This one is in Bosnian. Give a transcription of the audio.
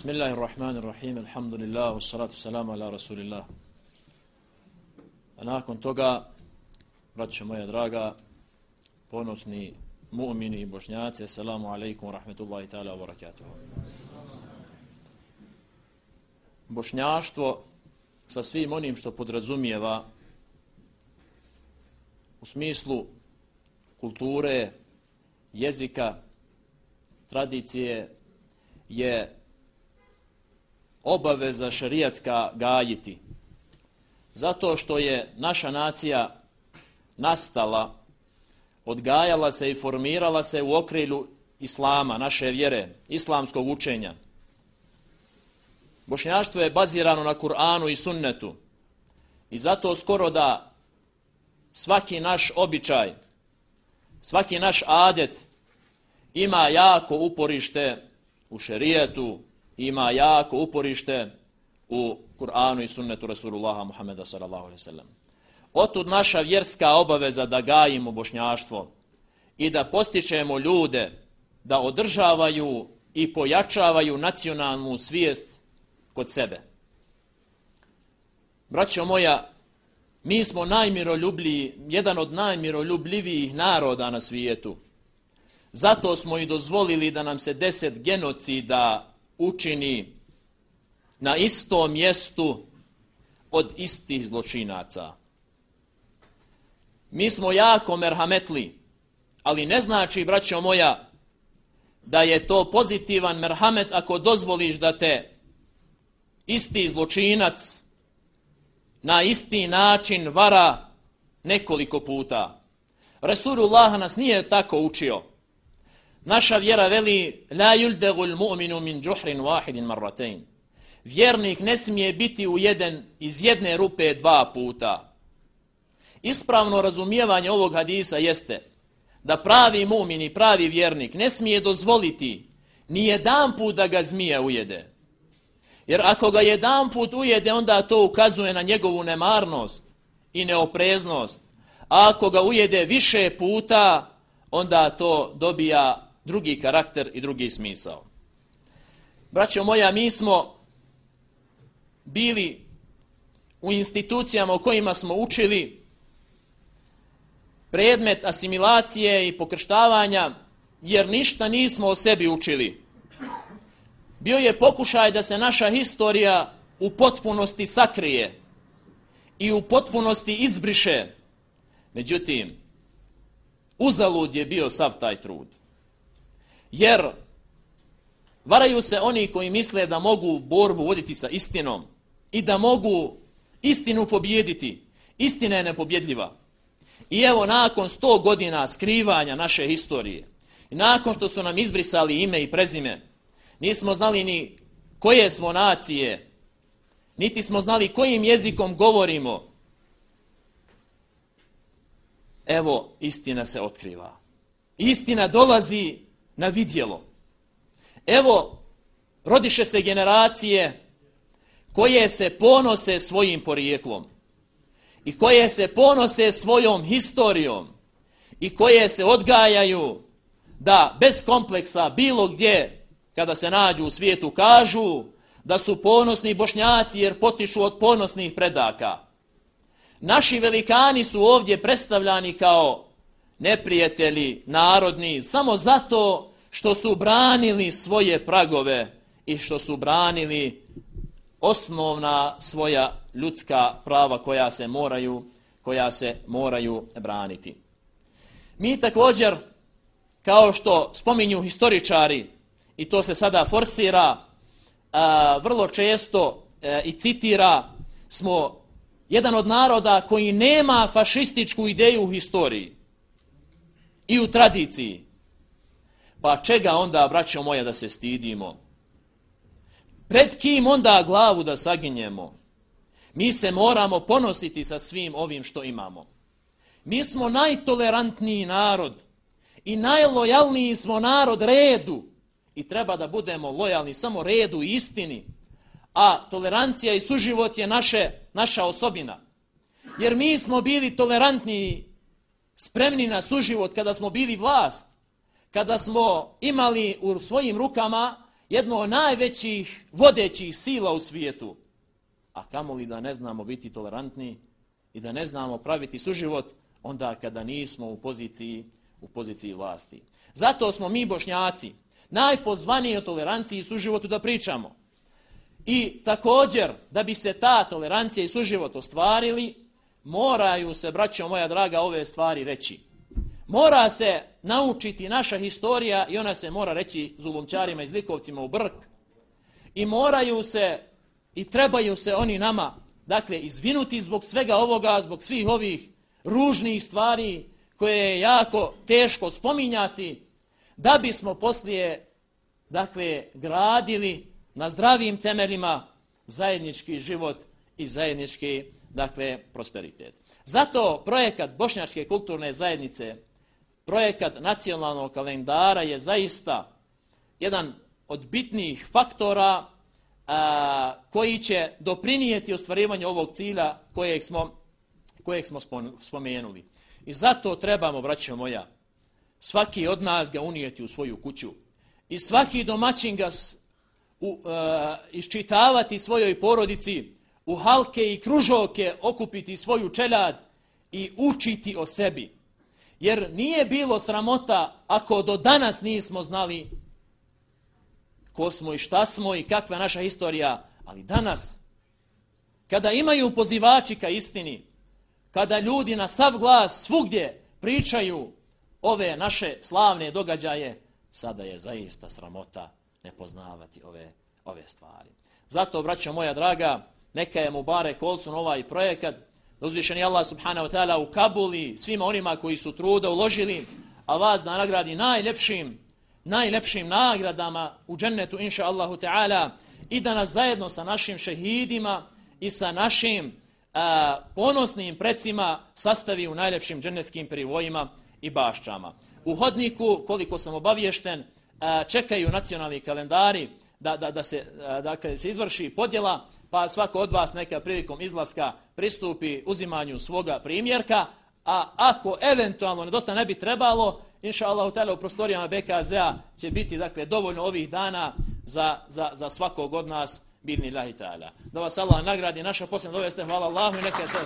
Bismillahirrahmanirrahim, alhamdulillah, wassalatu salamu ala rasulillah. A nakon toga, braćo moja draga, ponosni mu'mini i bošnjaci, assalamu alaikum wa rahmetullahi ta'ala wa barakatuhu. Bošnjaštvo sa svim onim što podrazumijeva u smislu kulture, jezika, tradicije je obaveza šerijatska gajiti. Zato što je naša nacija nastala, odgajala se i formirala se u okrilju islama, naše vjere, islamskog učenja. Bošnjaštvo je bazirano na Kur'anu i sunnetu. I zato skoro da svaki naš običaj, svaki naš adet ima jako uporište u šerijetu, ima jako uporište u Kur'anu i sunnetu Rasulullaha Muhammeda sallallahu alejhi ve sellem. Otud naša vjerska obaveza da gajimo bošnjaštvo i da postičemo ljude da održavaju i pojačavaju nacionalnu svijest kod sebe. Braćo moja, mi smo jedan od najmiroljubljivijih naroda na svijetu. Zato smo i dozvolili da nam se 10 genocida učini na istom mjestu od istih zločinaca. Mi smo jako merhametli, ali ne znači, braćo moja, da je to pozitivan merhamet ako dozvoliš da te isti zločinac na isti način vara nekoliko puta. Resulullah nas nije tako učio. Naša vjera veli la yuldagul mu'minu min juhrin wahidin marratayn. Vjernik ne smije biti iz jedne rupe 2 puta. Ispravno razumijevanje ovog hadisa jeste da pravi mu'min i pravi vjernik ne smije dozvoliti ni jedan put da ga zmija ujede. Jer ako ga jedan put ujede, onda to ukazuje na njegovu nemarnost i neopreznost. A ako ga ujede više puta, onda to dobija drugi karakter i drugi smisao. Braćo moja, mi smo bili u institucijama u kojima smo učili predmet asimilacije i pokrštavanja, jer ništa nismo o sebi učili. Bio je pokušaj da se naša historija u potpunosti sakrije i u potpunosti izbriše. Međutim, uzalud je bio sav taj trud. Jer varaju se oni koji misle da mogu borbu voditi sa istinom i da mogu istinu pobijediti. Istina je nepobjedljiva. I evo, nakon 100 godina skrivanja naše historije, i nakon što su nam izbrisali ime i prezime, nismo znali ni koje smo nacije, niti smo znali kojim jezikom govorimo. Evo, istina se otkriva. Istina dolazi na vidjelo. Evo, rodiše se generacije koje se ponose svojim porijeklom i koje se ponose svojom historijom i koje se odgajaju da bez kompleksa bilo gdje kada se nađu u svijetu kažu da su ponosni Bošnjaci jer potiču od ponosnih predaka. Naši velikani su ovdje predstavljani kao neprijatelji narodni samo zato što su branili svoje pragove i što su branili osnovna svoja ljudska prava koja se moraju braniti. Mi također, kao što spominju historičari, i to se sada forsira, vrlo često i citira, smo jedan od naroda koji nema fašističku ideju u historiji i u tradiciji. Pa čega onda, braćo moja, da se stidimo? Pred kim onda glavu da saginjemo? Mi se moramo ponositi sa svim ovim što imamo. Mi smo najtolerantniji narod i najlojalniji smo narod redu i treba da budemo lojalni samo redu i istini, a tolerancija i suživot je naša osobina. Jer mi smo bili tolerantni, spremni na suživot kada smo bili vlast, kada smo imali u svojim rukama jedno od najvećih vodećih sila u svijetu, a kamoli da ne znamo biti tolerantni i da ne znamo praviti suživot onda kada nismo u poziciji vlasti. Zato smo mi Bošnjaci najpozvaniji o toleranciji i suživotu da pričamo. I također, da bi se ta tolerancija i suživot ostvarili, moraju se, braćo moja draga, ove stvari reći. Mora se naučiti naša historija i ona se mora reći zulumčarima i zlikovcima u brk. I moraju se i trebaju se oni nama, dakle, izvinuti zbog svega ovoga, zbog svih ovih ružnih stvari koje je jako teško spominjati, da bismo poslije, dakle, gradili na zdravim temeljima zajednički život i zajednički, dakle, prosperitet. Zato projekat Bošnjačke kulturne zajednice, projekat nacionalnog kalendara je zaista jedan od bitnih faktora koji će doprinijeti ostvarivanju ovog cilja kojeg smo spomenuli. I zato trebamo, braćo moja, svaki od nas ga unijeti u svoju kuću i svaki domaćin ga iščitavati svojoj porodici, u halke i kružoke okupiti svoju čeljad i učiti o sebi. Jer nije bilo sramota ako do danas nismo znali ko smo i šta smo i kakva je naša historija, ali danas, kada imaju pozivači ka istini, kada ljudi na sav glas svugdje pričaju ove naše slavne događaje, sada je zaista sramota ne poznavati ove stvari. Zato, braćo moja draga, neka je Mubarek Olsun ovaj projekat, da uzvišeni Allah subhanahu wa ta'ala ukabuli svima onima koji su truda uložili, a vas da nagradi najlepšim nagradama u džennetu, inša Allahu ta'ala, i da nas zajedno sa našim šehidima i sa našim ponosnim precima sastavi u najlepšim džennetskim privojima i baščama. U hodniku, koliko sam obaviješten, čekaju nacionalni kalendari da se izvrši podjela, pa svako od vas neka prilikom izlaska pristupi uzimanju svoga primjerka, a ako eventualno nedostaje ne bi trebalo, inša Allahu ta'ala u prostorijama BKZ-a će biti, dakle, dovoljno ovih dana za svakog od nas, bidni Allahi ta'ala. Da vas Allah nagradi, naša posljedna doveste, hvala Allahu i neka je sve.